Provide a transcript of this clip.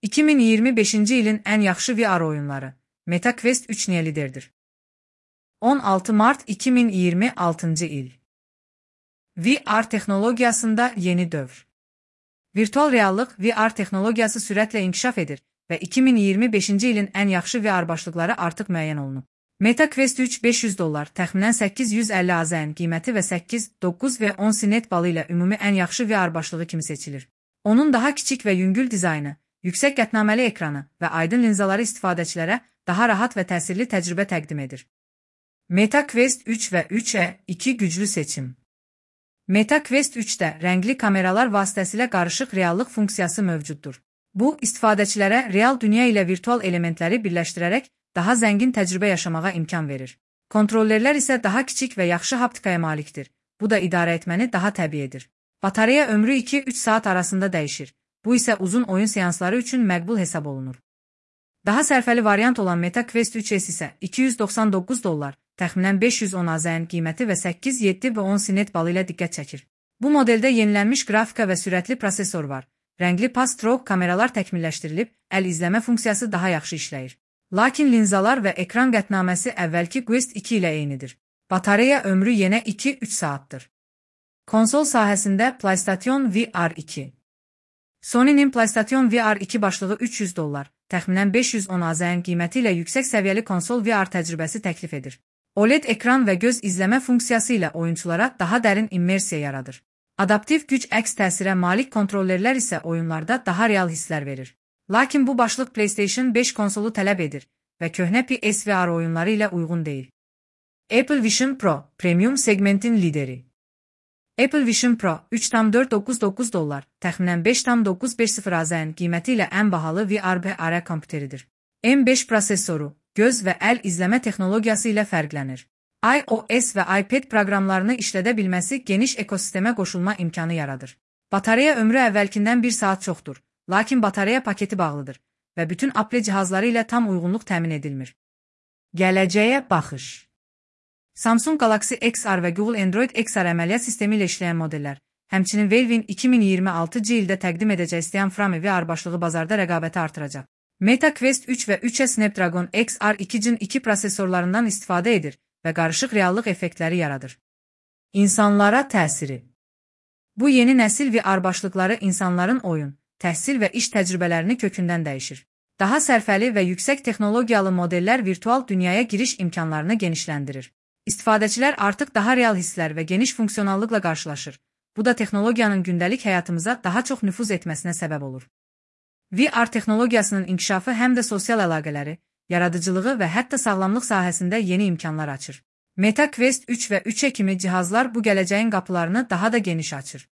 2025-ci ilin ən yaxşı VR oyunları. Meta Quest 3 niyə liderdir? 16 mart 2026-cı il. VR texnologiyasında yeni dövr. Virtual reallıq VR texnologiyası sürətlə inkişaf edir və 2025-ci ilin ən yaxşı VR başlıqları artıq müəyyən olunub. Meta Quest 3 $500, təxminən 850 AZN qiyməti və 8, 9 və 10 sinet balı ilə ümumi ən yaxşı VR başlığı kimi seçilir. Onun daha kiçik və yüngül dizaynı, yüksək qətnaməli ekranı və aydın linzaları istifadəçilərə daha rahat və təsirli təcrübə təqdim edir. Meta Quest 3 və 3E2 güclü seçim. Meta Quest 3-də rəngli kameralar vasitəsilə qarışıq reallıq funksiyası mövcuddur. Bu, istifadəçilərə real dünya ilə virtual elementləri birləşdirərək daha zəngin təcrübə yaşamağa imkan verir. Kontrollerlər isə daha kiçik və yaxşı haptikaya malikdir. Bu da idarə etməni daha təbii edir. Batareya ömrü 2-3 saat arasında dəyişir. Bu isə uzun oyun seansları üçün məqbul hesab olunur. Daha sərfəli variant olan Meta Quest 3S isə $299, təxminən 510 AZN qiyməti və 8, 7 və 10 sinet balı ilə diqqət çəkir. Bu modeldə yenilənmiş qrafika və sürətli prosesor var. Rəngli pass-through kameralar təkmilləşdirilib, əl izləmə funksiyası daha yaxşı işləyir. Lakin linzalar və ekran qətnaməsi əvvəlki Quest 2 ilə eynidir. Batareya ömrü yenə 2-3 saatdır. Konsol sahəsində PlayStation VR 2. Sony'nin PlayStation VR 2 başlığı $300, təxminən 510 AZN qiyməti ilə yüksək səviyyəli konsol VR təcrübəsi təklif edir. OLED ekran və göz izləmə funksiyası ilə oyunçulara daha dərin immersiya yaradır. Adaptiv güc əks təsirə malik kontrollerlər isə oyunlarda daha real hisslər verir. Lakin bu başlıq PlayStation 5 konsolu tələb edir və köhnə PSVR oyunları ilə uyğun deyil. Apple Vision Pro, premium segmentin lideri. Apple Vision Pro $3,499, təxminən $5,950 AZN qiyməti ilə ən bahalı VR kompüteridir. M5 prosesoru, göz və əl izləmə texnologiyası ilə fərqlənir. iOS və iPad proqramlarını işlədə bilməsi geniş ekosistemə qoşulma imkanı yaradır. Batareya ömrü əvvəlkindən 1 saat çoxdur, lakin batareya paketi bağlıdır və bütün Apple cihazları ilə tam uyğunluq təmin edilmir. Gələcəyə baxış. Samsung Galaxy XR və Google Android XR əməliyyat sistemi ilə işləyən modellər, həmçinin Valve'in 2026-cı ildə təqdim edəcək Steam VR başlığı bazarda rəqabəti artıracaq. Meta Quest 3 və 3E Snapdragon XR2 Gen 2 prosesorlarından istifadə edir və qarışıq reallıq effektləri yaradır. İnsanlara təsiri. Bu yeni nəsil VR başlıqları insanların oyun, təhsil və iş təcrübələrini kökündən dəyişir. Daha sərfəli və yüksək texnologiyalı modellər virtual dünyaya giriş imkanlarını genişləndirir. İstifadəçilər artıq daha real hisslər və geniş funksionallıqla qarşılaşır. Bu da texnologiyanın gündəlik həyatımıza daha çox nüfuz etməsinə səbəb olur. VR texnologiyasının inkişafı həm də sosial əlaqələri, yaradıcılığı və hətta sağlamlıq sahəsində yeni imkanlar açır. Meta Quest 3 və 3E kimi cihazlar bu gələcəyin qapılarını daha da geniş açır.